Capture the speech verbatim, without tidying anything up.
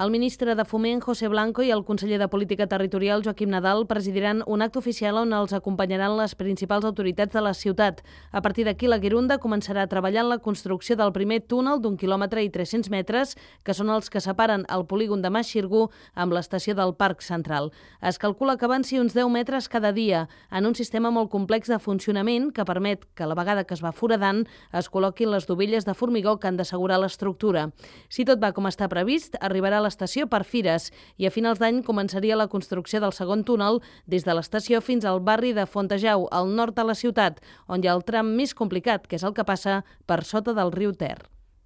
El ministre de Foment, José Blanco, i el conseller de Política Territorial, Joaquim Nadal, presidiran un acte oficial on els acompanyaran les principals autoritats de la ciutat. A partir d'aquí, la Guirunda començarà a treballar en la construcció del primer túnel d'un quilòmetre i tres-cents metres, que són els que separen el polígon de Mas Xirgu amb l'estació del Parc Central. Es calcula que avanci uns deu metres cada dia, en un sistema molt complex de funcionament que permet que a la vegada que es va foradant es col·loquin les dovelles de formigó que han d'assegurar l'estructura. Si tot va com està previst, arribarà a l'estació per Fires i a finals d'any començaria la construcció del segon túnel des de l'estació fins al barri de Fontejau, al nord de la ciutat, on hi ha el tram més complicat, que és el que passa per sota del riu Ter.